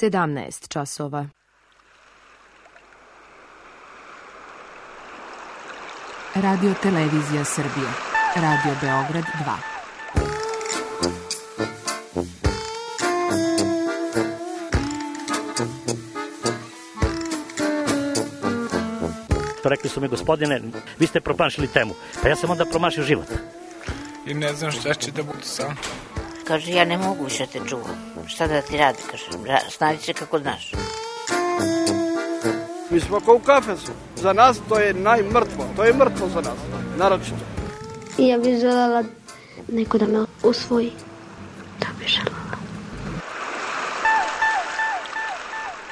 17 časova. Radio Televizija Srbije. Radio Beograd 2. Rekli su mi, gospodine, vi ste promašili temu. Pa ja sam onda promašio život. I ne znam šta će da bude sam. Kaže, ja ne mogu više te čuvam. Šta da ti radi, kaže, snađi se kako znaš. Mi smo kao u kafesu. Za nas to je najmrtvo. To je mrtvo za nas, naročito. I ja bih željela neko da me usvoji. To bih željela.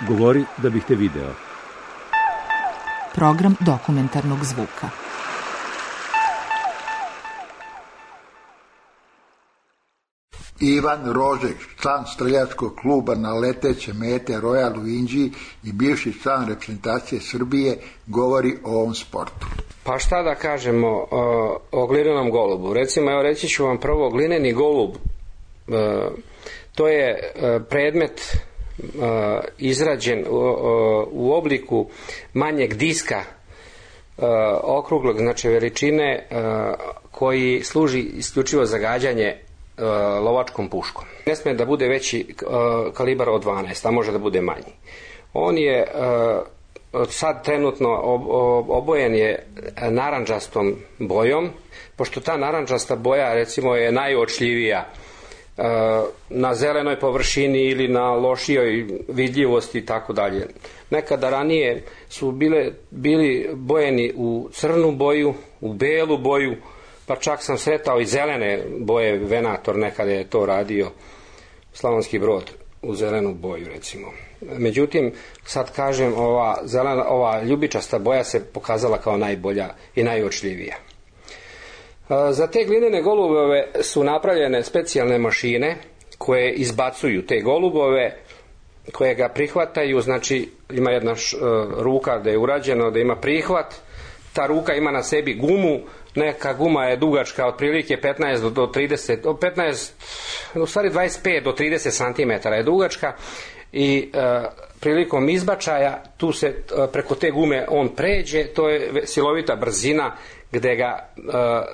Govori da bih te video. Program dokumentarnog zvuka. Ivan Rožek, član streljačkog kluba na leteće mete Royal u Inđiji i bivši član reprezentacije Srbije, govori o ovom sportu. Pa šta da kažemo o glinenom golubu? Recimo, evo reći ću vam prvo, glineni golub, to je predmet izrađen u obliku manjeg diska, okruglog, znači veličine, koji služi isključivo za gađanje lovačkom puškom. Ne smije da bude veći kalibar od 12, a može da bude manji. On je sad trenutno obojen je narandžastom bojom, pošto ta narandžasta boja recimo je najuočljivija na zelenoj površini ili na lošijoj vidljivosti i tako dalje. Nekada ranije su bili bojeni u crnu boju, u belu boju, pa čak sam sretao i zelene boje, Venator nekada je to radio, Slavonski Brod u zelenu boju recimo. Međutim, sad kažem, ova ljubičasta boja se pokazala kao najbolja i najuočljivija. Za te glinene golubove su napravljene specijalne mašine koje izbacuju te golubove, koje ga prihvataju, znači ima jedna ruka da je urađeno, da ima prihvat, ta ruka ima na sebi gumu, neka guma je dugačka otprilike 15 do 30, u stvari 25 do 30 cm je dugačka i prilikom izbačaja tu se preko te gume on pređe, to je silovita brzina gde ga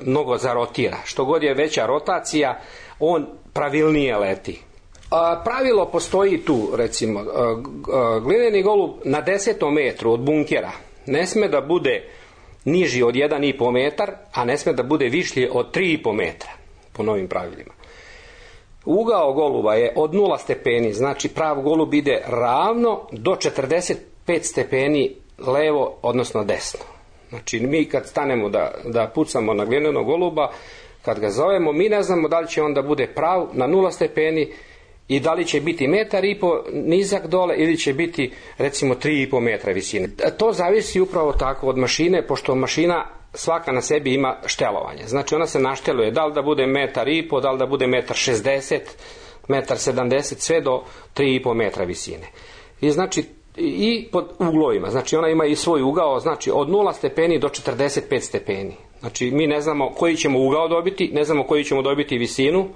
mnogo zarotira. Što god je veća rotacija, on pravilnije leti. Pravilo postoji tu, recimo, glineni golub na 10 metru od bunkera ne sme da bude niži od 1,5 metar, a ne sme da bude višlji od 3,5 metra, po novim pravilima. Ugao goluba je od 0 stepeni, znači prav golub ide ravno do 45 stepeni levo, odnosno desno. Znači mi kad stanemo da pucamo na glinenog goluba, kad ga zovemo, mi ne znamo da li će on da bude prav na 0 stepeni i da li će biti 1,5 metar nizak dole ili će biti recimo 3,5 metra visine. To zavisi upravo tako od mašine, pošto mašina svaka na sebi ima štelovanje. Znači ona se našteluje da li da bude 1,5 metar, da li da bude 1,60 metar, 1,70 metar, sve do 3,5 metra visine. I znači i pod uglovima, znači ona ima i svoj ugao, znači od 0 stepeni do 45 stepeni. Znači mi ne znamo koji ćemo ugao dobiti, ne znamo koji ćemo dobiti visinu,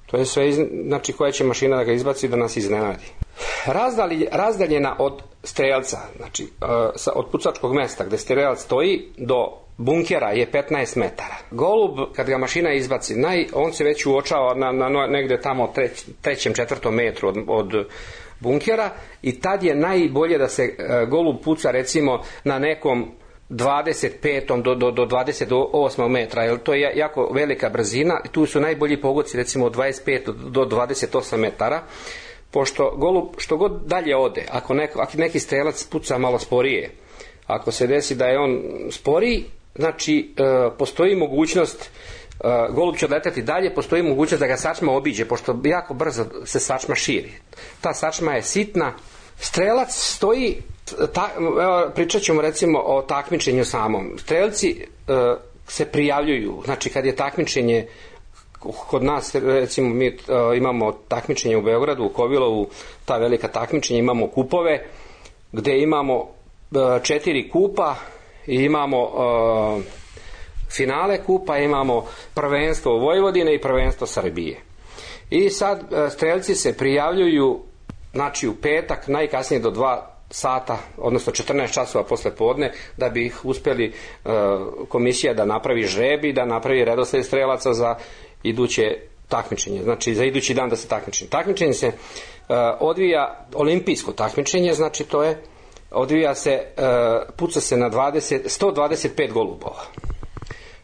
to je sve, znači koja će mašina da ga izbaci da nas iznenadi. Razdaljena od strelca, znači od pucačkog mesta gde strelac stoji do bunkera je 15 metara. Golub, kad ga mašina izbaci, on se već uočava na negde tamo 3., 4. metru od bunkera i tad je najbolje da se golub puca recimo na nekom 25. do 28. metra, jer to je jako velika brzina i tu su najbolji pogodci recimo od 25 do 28 metara, pošto golub što god dalje ode, ako neki strelac puca malo sporije, ako se desi da je on sporiji, znači postoji mogućnost, golub će odletati dalje, postoji mogućnost da ga sačma obiđe, pošto jako brzo se sačma širi. Ta sačma je sitna, strelac stoji, pričat ćemo recimo o takmičenju samom. Strelci se prijavljuju, znači kad je takmičenje kod nas, recimo mi imamo takmičenje u Beogradu, u Kovilovu, ta velika takmičenja, imamo kupove gde imamo 4 kupa i imamo finale kupa, imamo prvenstvo Vojvodine i prvenstvo Srbije. I sad strelci se prijavljuju znači u petak, najkasnije do 2 sata, odnosno 14 časova posle podne, da bi ih uspeli komisija da napravi žreb i da napravi redosled strelaca za iduće takmičenje, znači za idući dan da se takmiči. Takmičenje se odvija, olimpijsko takmičenje, znači to je, odvija se, puca se na 125 golubova.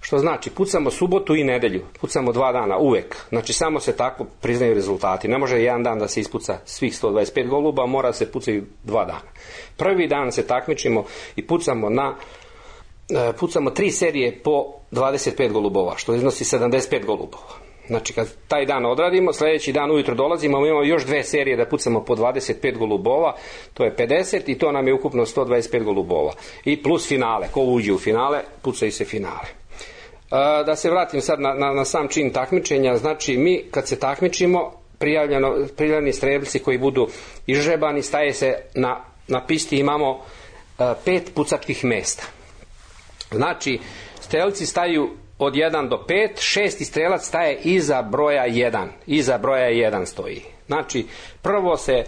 Što znači, pucamo subotu i nedelju, pucamo 2 dana, uvek. Znači, samo se tako priznaju rezultati. Ne može jedan dan da se ispuca svih 125 goluba, mora se pucaju 2 dana. Prvi dan se takmičimo i pucamo 3 serije po 25 golubova, što iznosi 75 golubova. Znači, kad taj dan odradimo, sljedeći dan ujutro dolazimo, imamo još 2 serije da pucamo po 25 golubova, to je 50 i to nam je ukupno 125 golubova. I plus finale, ko uđe u finale, pucaju se finale. Da se vratim sad na sam čin takmičenja, znači mi kad se takmičimo, prijavljeni strelci koji budu izžrebani, staje se na pisti, imamo 5 pucačkih mesta. Znači, strelci staju od 1 do 5, 6. strelac staje iza broja 1, iza broja 1 stoji. Znači, prvo se,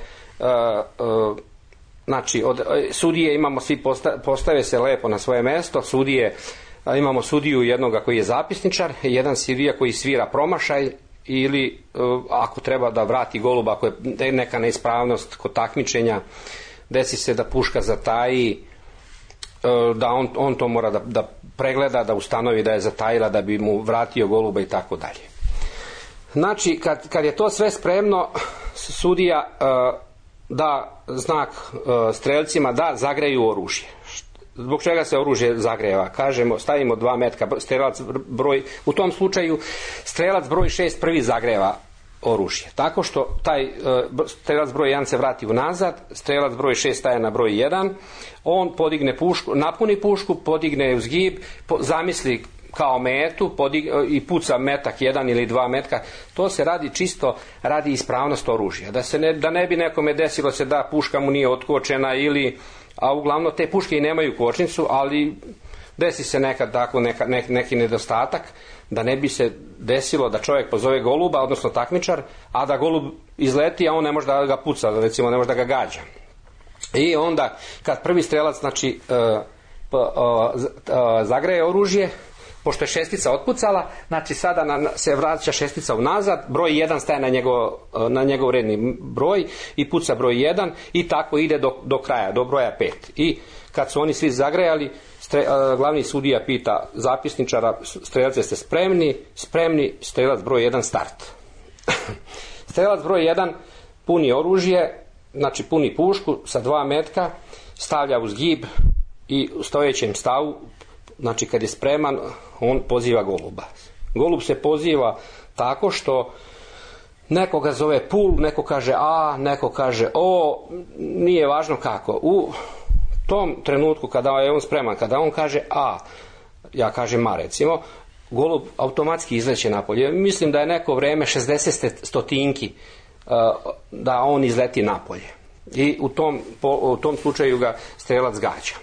znači, od sudije imamo, svi postave se lepo na svoje mesto, sudije, imamo sudiju jednoga koji je zapisničar, jedan sudija koji svira promašaj ili ako treba da vrati goluba, ako je neka neispravnost kod takmičenja, desi se da puška zataji, da on to mora da pregleda, da ustanovi da je zatajila, da bi mu vratio goluba i tako dalje. Znači, kad je to sve spremno, sudija da znak strelcima da zagreju oružje. Zbog čega se oružje zagreva? Kažemo, stavimo 2 metka, strelac broj, u tom slučaju strelac broj 6 prvi zagreva oružje. Tako što taj strelac broj 1 se vrati unazad, strelac broj 6 staje na broj 1, on podigne pušku, napuni pušku, podigne u zgib, zamisli kao metu i puca metak 1 ili 2 metka. To se radi čisto radi ispravnost oružja. Da ne bi nekome desilo se da puška mu nije otkočena ili, a uglavnom te puške i nemaju kočnicu, ali desi se nekad tako neki nedostatak, da ne bi se desilo da čovjek pozove goluba, odnosno takmičar, a da golub izleti, a on ne može da ga puca, recimo ne može da ga gađa. I onda kad prvi strelac, znači, zagreje oružje, pošto je 6 otpucala, znači sada se vraća 6 unazad, broj 1 staje na njegov redni broj i puca broj 1 i tako ide do kraja, do broja 5. I kad su oni svi zagrejali, glavni sudija pita zapisničara, strelce ste spremni? Spremni, strelac broj 1 start. Strelac broj 1 puni oružje, znači puni pušku sa 2 metka, stavlja u zgib i u stojećem stavu, znači kad je spreman, on poziva goluba. Golub se poziva tako što neko ga zove pul, neko kaže a, neko kaže o, nije važno kako. U tom trenutku kada je on spreman, kada on kaže a, ja kažem ma recimo, golub automatski izleće napolje. Mislim da je neko vreme 60 stotinki da on izleti napolje. I u tom slučaju ga strelac gađa.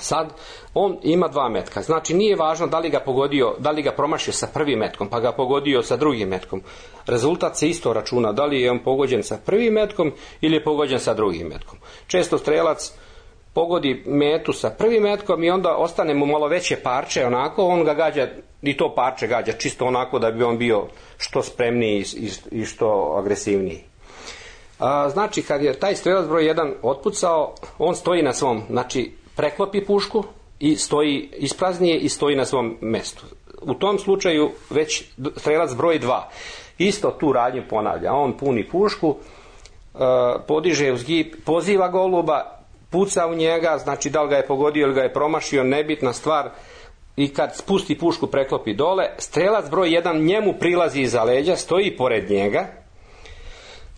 Sad, on ima 2 metka, znači nije važno da li ga pogodio, da li ga promašio sa prvim metkom, pa ga pogodio sa drugim metkom. Rezultat se isto računa, da li je on pogođen sa prvim metkom ili je pogođen sa drugim metkom. Često strelac pogodi metu sa prvim metkom i onda ostane mu malo veće parče, onako, on ga gađa, i to parče gađa, čisto onako da bi on bio što spremniji i što agresivniji. Znači, kad je taj strelac broj 1 otpucao, on stoji na svom, znači, preklopi pušku i stoji ispraznije i stoji na svom mestu. U tom slučaju već strelac broj 2 isto tu radnju ponavlja. On puni pušku, podiže u zgib, poziva goluba, puca u njega, znači da li ga je pogodio ili ga je promašio, nebitna stvar. I kad spusti pušku, preklopi dole, strelac broj 1 njemu prilazi iza leđa, stoji pored njega,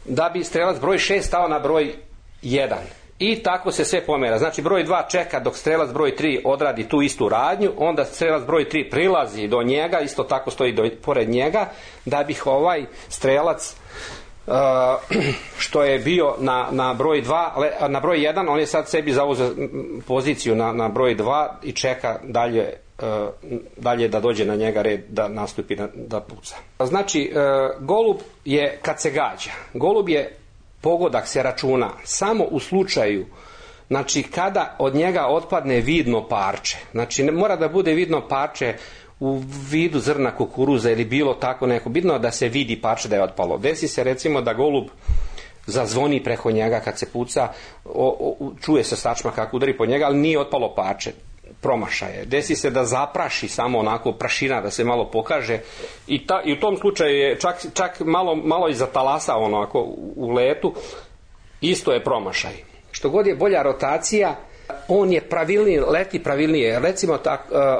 da bi strelac broj 6 stao na broj 1. I tako se sve pomera. Znači broj 2 čeka dok strelac broj 3 odradi tu istu radnju, onda strelac broj 3 prilazi do njega, isto tako stoji pored njega, da bi ovaj strelac što je bio na broj 2, na broj 1, on je sad sebi zauzeo poziciju na broj 2 i čeka dalje da dođe na njega red da nastupi da puca. Znači golub je kad se gađa, golub je pogodak se računa samo u slučaju, znači kada od njega otpadne vidno parče. Znači ne mora da bude vidno parče u vidu zrna kukuruza ili bilo tako neko, bitno da se vidi parče da je otpalo. Desi se recimo da golub zazvoni preko njega kad se puca, čuje se sačma kako udari po njega, ali nije otpalo parče, promašaje. Desi se da zapraši samo onako prašina, da se malo pokaže i u tom slučaju je čak malo i zatalasao onako u letu, isto je promašaj. Što god je bolja rotacija, on je pravilniji, leti pravilnije. Recimo,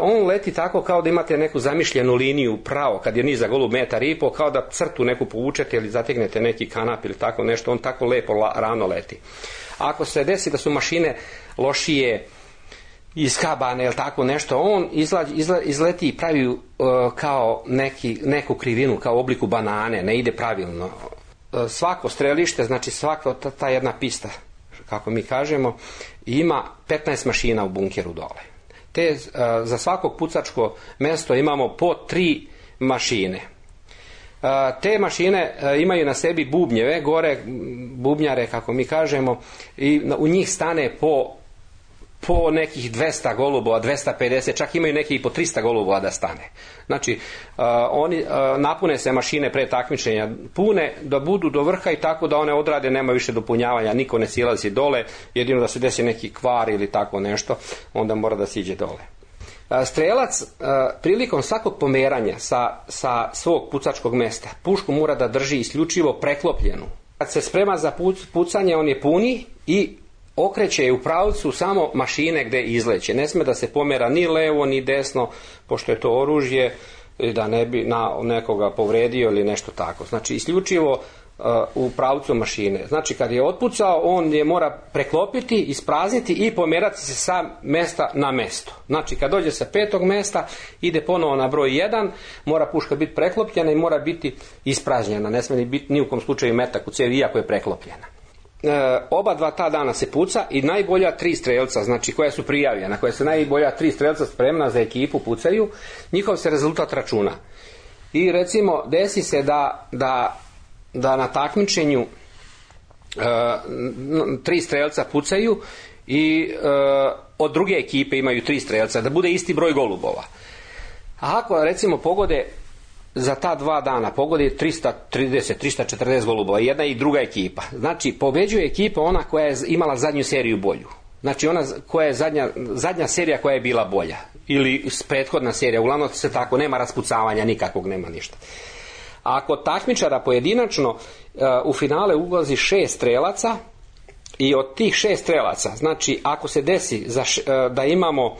on leti tako kao da imate neku zamišljenu liniju pravo, kad je nizak golub 1,5 m, kao da crtu neku povučete ili zategnete neki kanap ili tako nešto, on tako lepo ravno leti. Ako se desi da su mašine lošije, iskabane ili tako nešto, on izleti i pravi kao neku krivinu, kao u obliku banane, ne ide pravilno. Svako strelište, znači svaka ta jedna pista, kako mi kažemo, ima 15 mašina u bunkeru dole. Za svakog pucačko mesto imamo po 3 mašine. Te mašine imaju na sebi bubnjeve, gore bubnjare, kako mi kažemo, i u njih stane po nekih 200 golubova, 250, čak imaju neki i po 300 golubova da stane. Znači, oni napune se mašine pre takmičenja, pune da budu do vrha i tako da one odrade, nema više dopunjavanja, niko ne silazi dole, jedino da se desi neki kvar ili tako nešto, onda mora da siđe dole. Strelac prilikom svakog pomeranja sa svog pucačkog mesta pušku mora da drži isključivo preklopljenu. Kad se sprema za pucanje, on je puni i okreće je u pravcu samo mašine gde izleće. Ne sme da se pomera ni levo ni desno, pošto je to oružje, da ne bi nekoga povredio ili nešto tako. Znači isključivo u pravcu mašine. Znači kad je otpucao, on je mora preklopiti, isprazniti i pomerati se sa mesta na mesto. Znači kad dođe sa 5. mesta, ide ponovo na broj 1, mora puška biti preklopljena i mora biti ispražnjena. Ne sme biti ni u kom slučaju metak u cevi, iako je preklopljena. Oba dva ta dana se puca i najbolja 3 strelca, znači koja su prijavljena, koja su najbolja 3 strelca spremna za ekipu pucaju, njihov se rezultat računa. I recimo desi se da na takmičenju 3 strelca pucaju i od druge ekipe imaju 3 strelca, da bude isti broj golubova. A ako recimo pogode za ta 2 dana pogodi 330-340 golubova, jedna i druga ekipa. Znači, pobeđuje ekipa ona koja je imala zadnju seriju bolju. Znači, ona koja je zadnja serija koja je bila bolja. Ili prethodna serija, uglavnom se tako, nema raspucavanja nikakvog, nema ništa. A ako takmičara pojedinačno u finale ulazi 6 strelaca i od tih 6 strelaca, znači, ako se desi da imamo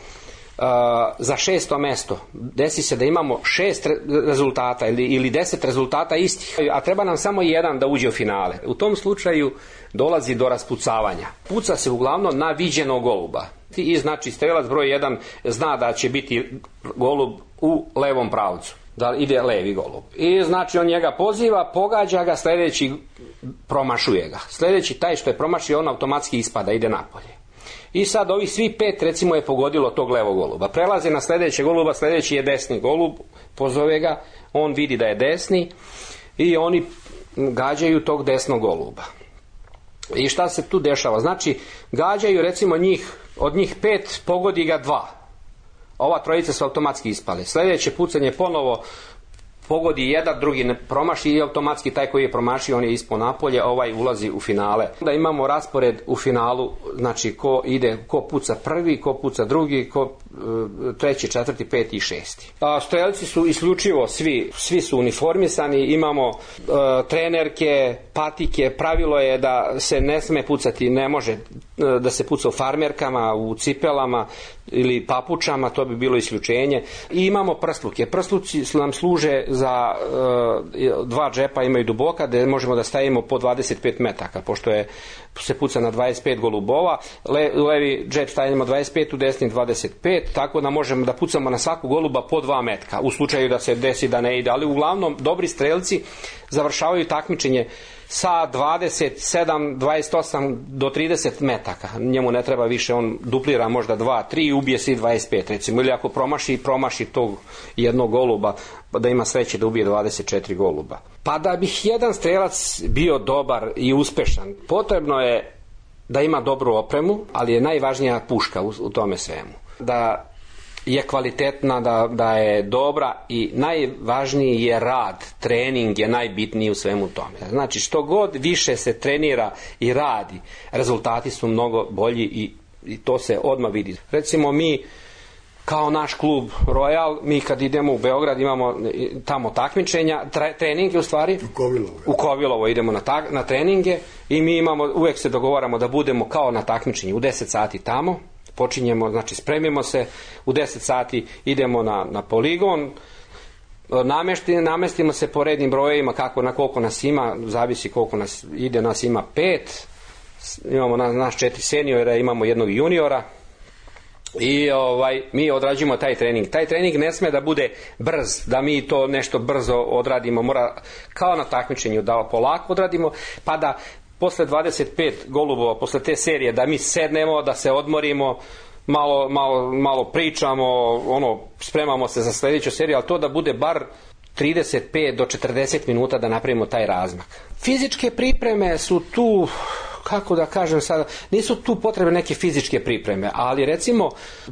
za 6. mesto, desi se da imamo 6 rezultata ili 10 rezultata istih, a treba nam samo jedan da uđe u finale. U tom slučaju dolazi do raspucavanja. Puca se uglavnom na viđenog goluba. I znači strelac broj 1 zna da će biti golub u levom pravcu, da ide levi golub. I znači on njega poziva, pogađa ga, sljedeći promašuje ga. Sljedeći taj što je promašio, on automatski ispada, ide napolje. I sad ovi svi 5 recimo je pogodilo tog levog goluba. Prelaze na sljedećeg goluba, sljedeći je desni golub, pozove ga, on vidi da je desni i oni gađaju tog desnog goluba. I šta se tu dešava? Znači, gađaju recimo od njih 5 pogodi ga 2. Ova trojica su automatski ispale. Sljedeće pucanje ponovo pogodi jedan, drugi ne promaši i automatski taj koji je promašio, on je ispao napolje, ovaj ulazi u finale. Onda imamo raspored u finalu, znači ko puca prvi, ko puca drugi, ko treći, četvrti, peti i šesti. Strelci su isključivo svi su uniformisani, imamo trenerke, patike, pravilo je da se ne sme pucati, ne može da se puca u farmerkama, u cipelama ili papučama, to bi bilo isključenje. I imamo prsluke. Prsluci nam služe za 2 džepa, imaju duboka, gde možemo da stavimo po 25 metaka, pošto se puca na 25 golubova. U levi džep stavimo 25, u desni 25 tako da možemo da pucamo na svaku goluba po 2 metka, u slučaju da se desi da ne ide, ali uglavnom dobri strelci završavaju takmičenje sa 27, 28 do 30 metaka. Njemu ne treba više, on duplira možda 2, 3 i ubije se 25 recimo, ili ako promaši tog jednog goluba, da ima sreće da ubije 24 goluba. Pa da bih jedan strelac bio dobar i uspešan, potrebno je da ima dobru opremu, ali je najvažnija puška u tome svemu. Da je kvalitetna, da je dobra i najvažniji je rad, trening je najbitniji u svemu tome. Znači što god više se trenira i radi, rezultati su mnogo bolji i to se odmah vidi. Recimo mi kao naš klub Royal, mi kad idemo u Beograd imamo tamo takmičenja, treninge u stvari. U Kovilovo idemo na treninge i mi imamo, uvek se dogovaramo da budemo kao na takmičenju u 10 sati tamo. Počinjemo, znači spremimo se, u 10 sati idemo na poligon, namestimo se po rednim brojevima na koliko nas ima, zavisi koliko nas ide, nas ima 5, imamo nas 4 seniora, imamo jednog juniora i mi odrađujemo taj trening. Taj trening ne sme da bude brz, da mi to nešto brzo odradimo, mora kao na takmičenju da polako odradimo, pa da posle 25 golubova, posle te serije, da mi sednemo, da se odmorimo, malo pričamo, spremamo se za sledeću seriju, ali to da bude bar 35 do 40 minuta da napravimo taj razmak. Fizičke pripreme su tu, kako da kažem sada, nisu tu potrebne neke fizičke pripreme, ali recimo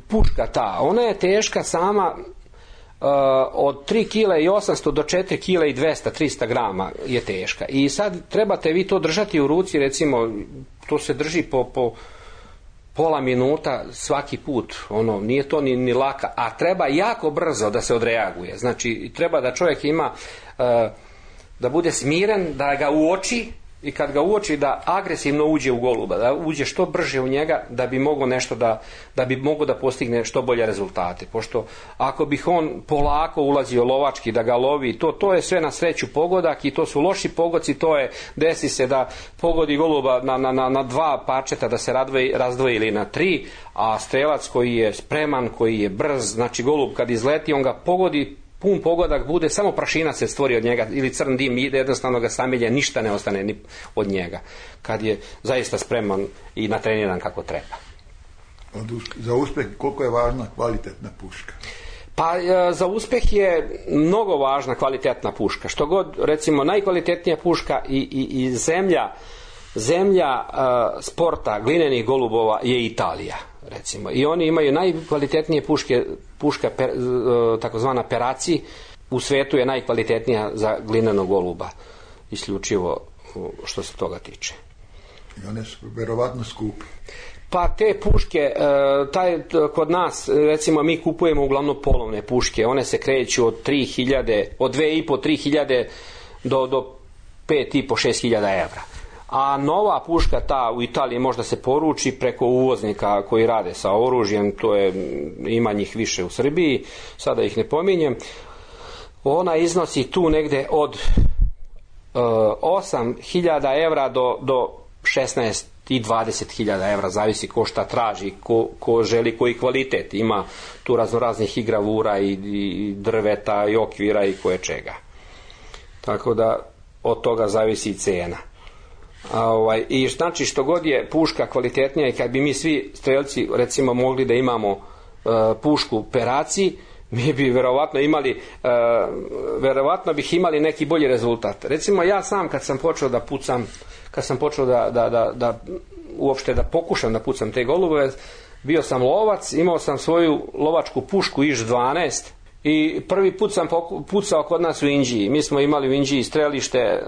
puška ta, ona je teška sama od 3 kg i 800 do 4 kg i 200, 300 grama je teška. I sad trebate vi to držati u ruci, recimo to se drži po pola minuta svaki put, nije to ni laka, a treba jako brzo da se odreaguje. Znači treba da čovjek ima, da bude smiren, da ga uoči i kad ga uoči da agresivno uđe u goluba, da uđe što brže u njega da bi mogao nešto da bi mogao da postigne što bolje rezultate. Pošto ako bih on polako ulazio lovački da ga lovi, to je sve na sreću pogodak i to su loši pogodci, desi se da pogodi goluba na 2 parčeta da se razdvoji ili na 3, a strelac koji je spreman, koji je brz, znači golub kad izleti on ga pogodi, pun pogodak bude, samo prašina se stvori od njega ili crn dim ide, jednostavno ga samelje, ništa ne ostane ni od njega kad je zaista spreman i natreniran kako treba. Za uspjeh koliko je važna kvalitetna puška? Pa za uspjeh je mnogo važna kvalitetna puška. Što god, recimo, najkvalitetnija puška i zemlja sporta glinenih golubova je Italija, recimo. I oni imaju najkvalitetnije puška takozvana Peraci, u svetu je najkvalitetnija za glinenog goluba, isključivo što se toga tiče. I one su verovatno skupe. Pa te puške, kod nas, recimo mi kupujemo uglavnom polovne puške, one se kreću od 2,5-3.000 do 5,5-6.000 evra. A nova puška ta u Italiji možda se poruči preko uvoznika koji rade sa oružjem, ima njih više u Srbiji, sada ih ne pominjem. Ona iznosi tu negde od 8.000 evra do 16 i 20.000 evra, zavisi ko šta traži, ko želi koji kvalitet. Ima tu raznih i gravura i drveta i okvira i koje čega. Tako da od toga zavisi i cena. I znači što god je puška kvalitetnija i kad bi mi svi strelci recimo mogli da imamo pušku Peraci, mi bi verovatno bih imali neki bolji rezultat. Recimo ja sam kad sam počeo da pucam, kad sam počeo da uopšte da pokušam da pucam te golubove, bio sam lovac, imao sam svoju lovačku pušku Iš 12 i prvi put sam pucao kod nas u Inđiji. Mi smo imali u Inđiji strelište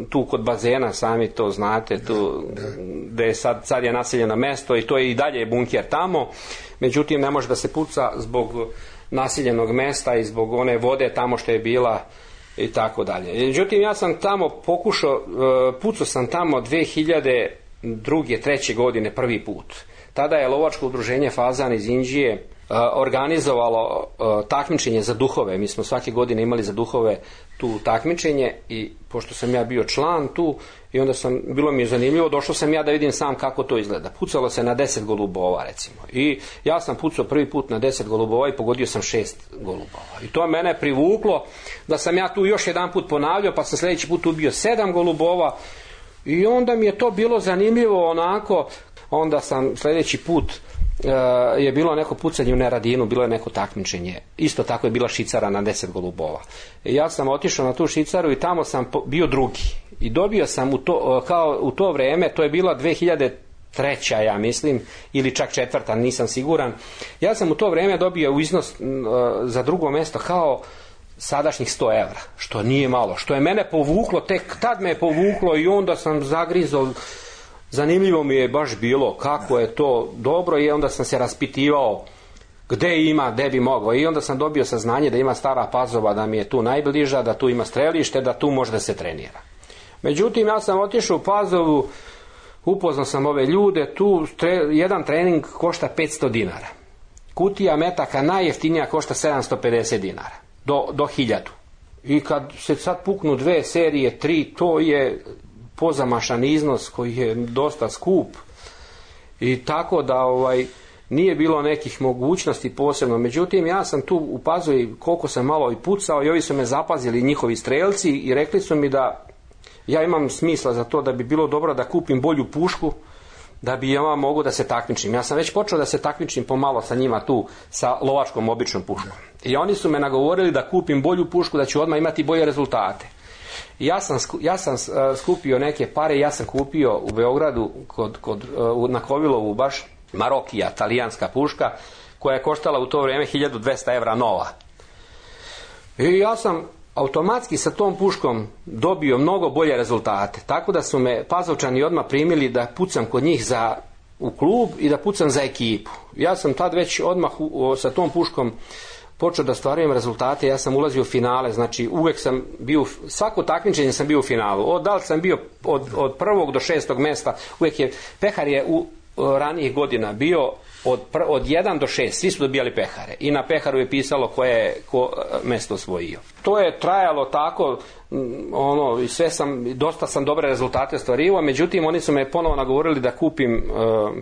tu kod bazena, sami to znate, tu gde sad je naseljeno mesto i to je i dalje bunker tamo, međutim ne može da se puca zbog naseljenog mesta i zbog one vode tamo što je bila i tako dalje. Međutim ja sam tamo pucao sam tamo 2002. 2003. godine prvi put. Tada je lovačko udruženje Fazan iz Inđije organizovalo takmičenje za duhove. Mi smo svake godine imali za duhove tu takmičenje i pošto sam ja bio član tu I onda bilo mi je zanimljivo, došao sam ja da vidim sam kako to izgleda. Pucalo se na 10 golubova recimo. I ja sam pucao prvi put na 10 golubova i pogodio sam 6 golubova. I to mene privuklo da sam ja tu još jedan put ponavljao, pa sam sljedeći put ubio 7 golubova. I onda mi je to bilo zanimljivo onako. Onda sam sljedeći put je bilo neko pucanje u Neradinu, bilo je neko takmičenje. Isto tako je bila šicara na 10 golubova. I ja sam otišao na tu šicaru i tamo sam bio drugi. I dobio sam u to vrijeme, to je bila 2003. ja mislim, ili čak 4. nisam siguran. Ja sam u to vrijeme dobio u iznos za drugo mjesto kao sadašnjih 100 evra, što nije malo, što je mene povuklo, tek tad me je povuklo i onda sam zagrizao. Zanimljivo mi je baš bilo kako je to dobro i onda sam se raspitivao gdje bi mogao i onda sam dobio saznanje da ima Stara Pazova, da mi je tu najbliža, da tu ima strelište, da tu može da se trenira. Međutim, ja sam otišao u Pazovu, upoznao sam ove ljude, tu jedan trening košta 500 dinara. Kutija metaka najjeftinija košta 750 dinara, do 1000. I kad se sad puknu 2 serije, 3, to je pozamašan iznos koji je dosta skup i tako da nije bilo nekih mogućnosti posebno. Međutim, ja sam tu u Pazovi koliko sam malo i pucao i ovi su me zapazili, njihovi strelci, i rekli su mi da ja imam smisla za to, da bi bilo dobro da kupim bolju pušku, da bi ja mogao da se takmičim. Ja sam već počeo da se takmičim pomalo sa njima tu, sa lovačkom običnom puškom. I oni su me nagovorili da kupim bolju pušku, da ću odmah imati bolje rezultate. Ja sam skupio neke pare, ja sam kupio u Beogradu na Kovilovu baš Marokija, talijanska puška, koja je koštala u to vrijeme 1200 evra nova. I ja sam automatski sa tom puškom dobio mnogo bolje rezultate, tako da su me Pazovčani odmah primili da pucam kod njih u klub i da pucam za ekipu. Ja sam tad već odmah sa tom puškom počeo da stvarujem rezultate, ja sam ulazio u finale, znači uvek sam bio, svako takmičenje sam bio u finalu. Da li sam bio od 1. do 6. mjesta, uvek je, pehar je u ranijih godina bio od 1 do 6, svi su dobijali pehare i na peharu je pisalo ko mjesto osvojio. To je trajalo tako, dosta sam dobre rezultate ostvarivao, međutim oni su me ponovo nagovorili da kupim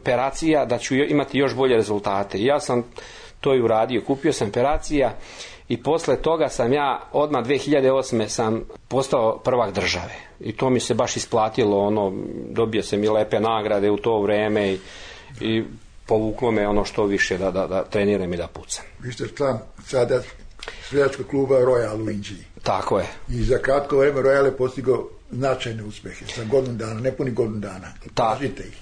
peracija, da ću imati još bolje rezultate. Ja sam to i uradio, kupio sam peracija i posle toga sam ja odmah 2008. sam postao prvak države i to mi se baš isplatilo, dobio sam i lepe nagrade u to vrijeme i povuklo me što više da treniram i da pucam. Vi ste član sada streljačkog kluba Royal u Inđiji. Tako je. I za kratko vrijeme Royal je postigao značajne uspjehe, sa godinu dana, nepuni godinu dana. Kažite ih.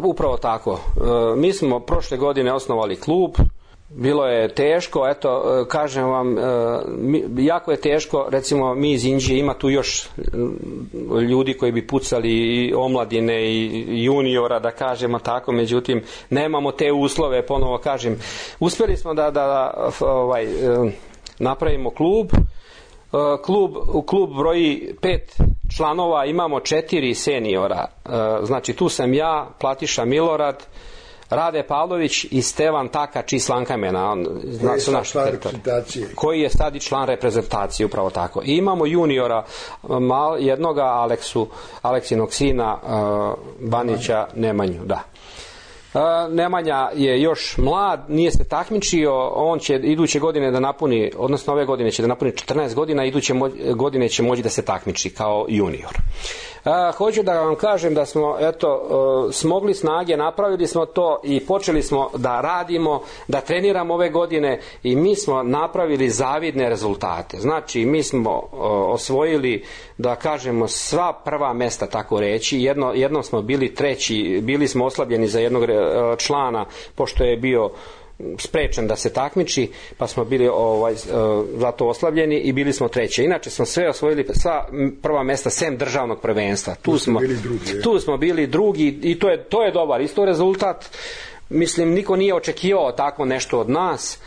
Upravo tako. Mi smo prošle godine osnovali klub, bilo je teško, kažem vam, jako je teško, recimo mi iz Inđije, ima tu još ljudi koji bi pucali i omladine i juniora, da kažemo tako, međutim nemamo te uslove, ponovo kažem. Uspjeli smo da napravimo klub. Klub broji 5 članova, imamo 4 seniora, znači tu sam ja, Platiša Milorad, Rade Pavlović i Stevan Takač iz Slankamena, koji je sad i član reprezentacije, upravo tako. I imamo juniora jednoga, Aleksinog sina, Banića Nemanju, da. Nemanja je još mlad, nije se takmičio, on će iduće godine da napuni, odnosno ove godine će da napuni 14 godina, iduće godine će moći da se takmiči kao junior. Hoću da vam kažem da smo smogli snage, napravili smo to i počeli smo da radimo, da treniramo ove godine i mi smo napravili zavidne rezultate. Znači mi smo osvojili, da kažemo, sva prva mjesta, tako reći. Jednom smo bili treći, bili smo oslabljeni za jednog člana pošto je bio sprečen da se takmiči, pa smo bili zato oslabljeni i bili smo treći. Inače smo sve osvojili, sva prva mjesta sem državnog prvenstva. Tu smo bili drugi i to je dobar isto rezultat. Mislim, niko nije očekivao tako nešto od nas.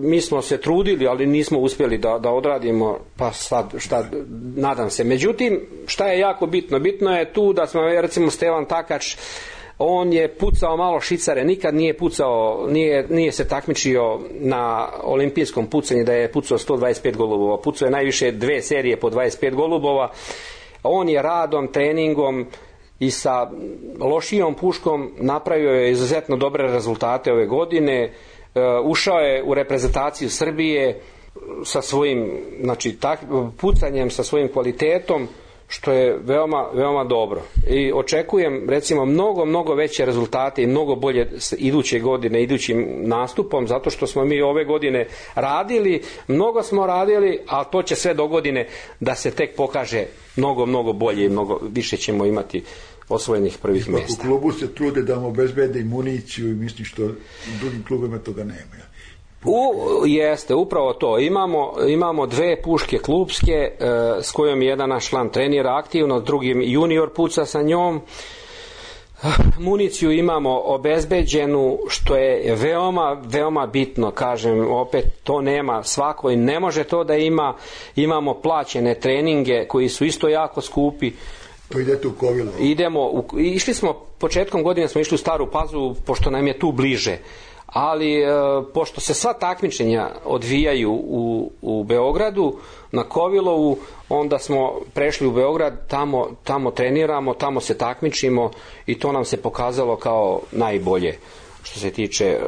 Mi smo se trudili, ali nismo uspjeli da odradimo, pa sad nadam se. Međutim, šta je jako bitno? Bitno je tu da smo, recimo, Stevan Takač, on je pucao malo šicare, nikad nije pucao, nije se takmičio na olimpijskom pucanju da je pucao 125 golubova, pucao je najviše 2 serije po 25 golubova, On je radom, treningom i sa lošijom puškom napravio je izuzetno dobre rezultate ove godine. Ušao je u reprezentaciju Srbije sa svojim, znači, pucanjem, sa svojim kvalitetom, što je veoma, veoma dobro. I očekujem, recimo, mnogo veće rezultate i mnogo bolje iduće godine, idućim nastupom, zato što smo mi ove godine radili, mnogo smo radili, ali to će sve do godine da se tek pokaže mnogo bolje i mnogo više ćemo imati osvojenih prvih mjesta. U klubu se trude da mu obezbede i municiju i mislim što u drugim klubima toga nema. Jeste, upravo to. Imamo 2 puške klubske s kojom jedan naš član trenira aktivno, s drugim junior puca sa njom. Municiju imamo obezbeđenu, što je veoma bitno, kažem, opet to nema svako i ne može to da ima. Imamo plaćene treninge koji su isto jako skupi. To idete u Kovilo? Išli smo, početkom godine smo išli u Staru Pazovu, pošto nam je tu bliže. Ali pošto se sva takmičenja odvijaju u Beogradu, na Kovilovu, onda smo prešli u Beograd, tamo treniramo, tamo se takmičimo i to nam se pokazalo kao najbolje što se tiče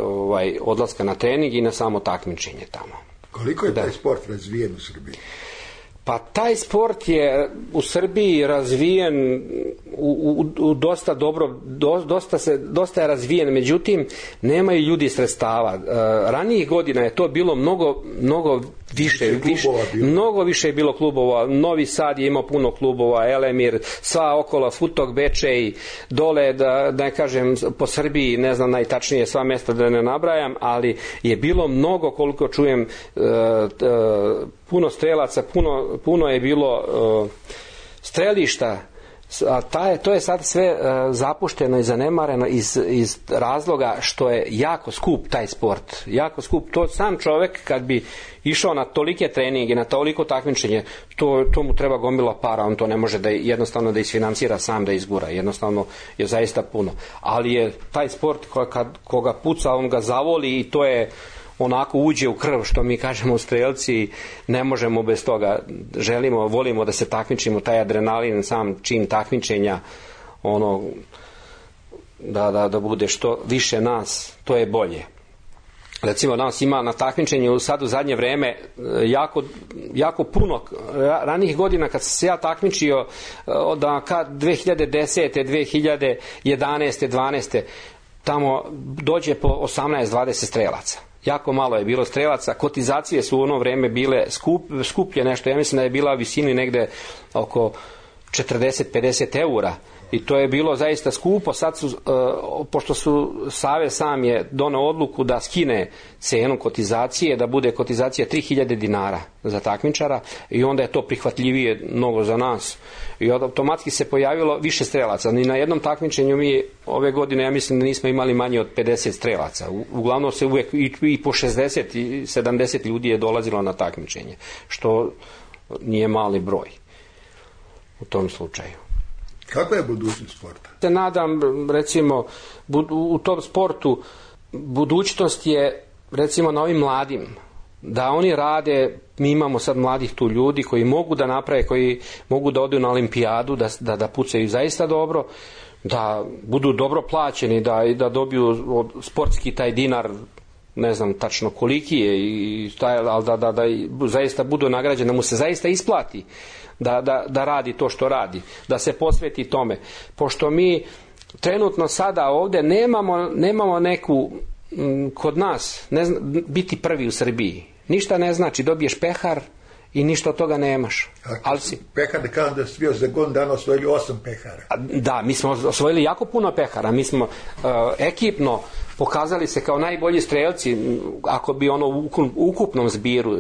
odlaska na trening i na samo takmičenje tamo. Koliko je taj sport razvijen u Srbiji? Pa taj sport je u Srbiji razvijen u dosta dobro, dosta je razvijen, međutim nemaju ljudi sredstava. Ranijih godina je to bilo mnogo više je bilo klubova. Novi Sad je imao puno klubova, Elemir, sva okolo, Futog, Bečej, dole, da ne kažem po Srbiji, ne znam najtačnije sva mjesta da ne nabrajam, ali je bilo mnogo, koliko čujem, puno strelaca, puno je bilo strelišta, a to je sad sve zapušteno i zanemareno iz razloga što je jako skup taj sport, jako skup. To sam čovjek kad bi išao na tolike treninge, na toliko takmičenje, to mu treba gomila para, on to ne može jednostavno da isfinancira sam, da izgura, jednostavno je zaista puno. Ali je taj sport koga puca, on ga zavoli i to je onako uđe u krv, što mi kažemo strelci, ne možemo bez toga. Volimo da se takmičimo, taj adrenalin, sam čin takmičenja, da bude što više nas, to je bolje. Recimo, nas ima na takmičenju sad u zadnje vreme jako puno. Ranijih godina kad sam se ja takmičio, da 2010. 2011. 12. tamo dođe po 18-20 strelaca. Jako malo je bilo strelaca, kotizacije su u ono vrijeme bile skuplje nešto, ja mislim da je bila visini negde oko 40-50 eura i to je bilo zaista skupo. Sad su, pošto Savez sam je doneo odluku da skine cenu kotizacije, da bude kotizacija 3000 dinara za takmičara i onda je to prihvatljivije mnogo za nas i automatski se pojavilo više strelaca. Ni na jednom takmičenju mi ove godine, ja mislim da nismo imali manje od 50 strelaca. Uglavnom se uvijek i po 60 i 70 ljudi je dolazilo na takmičenje, što nije mali broj u tom slučaju. Kakva je budućnost sporta? Se nadam, recimo, u tom sportu budućnost je, recimo, na ovim mladim, da oni rade. Mi imamo sad mladih tu ljudi koji mogu da naprave, koji mogu da odu na olimpijadu, da pucaju zaista dobro, da budu dobro plaćeni, da dobiju sportski taj dinar, ne znam tačno koliki je, ali da zaista budu nagrađeni, da mu se zaista isplati da radi to što radi, da se posveti tome. Pošto mi trenutno sada ovdje nemamo neku, kod nas, biti prvi u Srbiji. Ništa ne znači, dobiješ pehar i ništa od toga nemaš. Pehar, da kažem da si bio za godinu dana osvojili 8 pehara. Da, mi smo osvojili jako puno pehara. Mi smo ekipno pokazali se kao najbolji strelci, ako bi u ukupnom zbiru.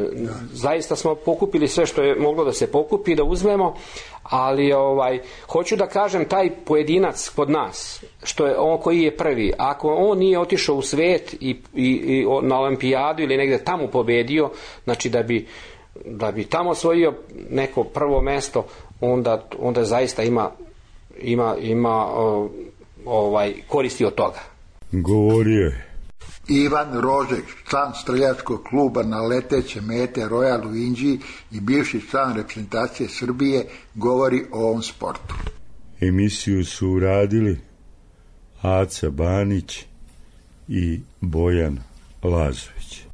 Zaista smo pokupili sve što je moglo da se pokupi, da uzmemo, ali hoću da kažem, taj pojedinac kod nas, što je on koji je prvi, ako on nije otišao u svet i na olimpijadu ili negde tamo pobedio, znači da bi tamo osvojio neko prvo mesto, onda zaista ima koristi od toga. Govorio je. Ivan Rožek, član streljačkog kluba na leteće mete Royal u Inđiji i bivši član reprezentacije Srbije, govori o ovom sportu. Emisiju su uradili Aca Banić i Bojan Lazović.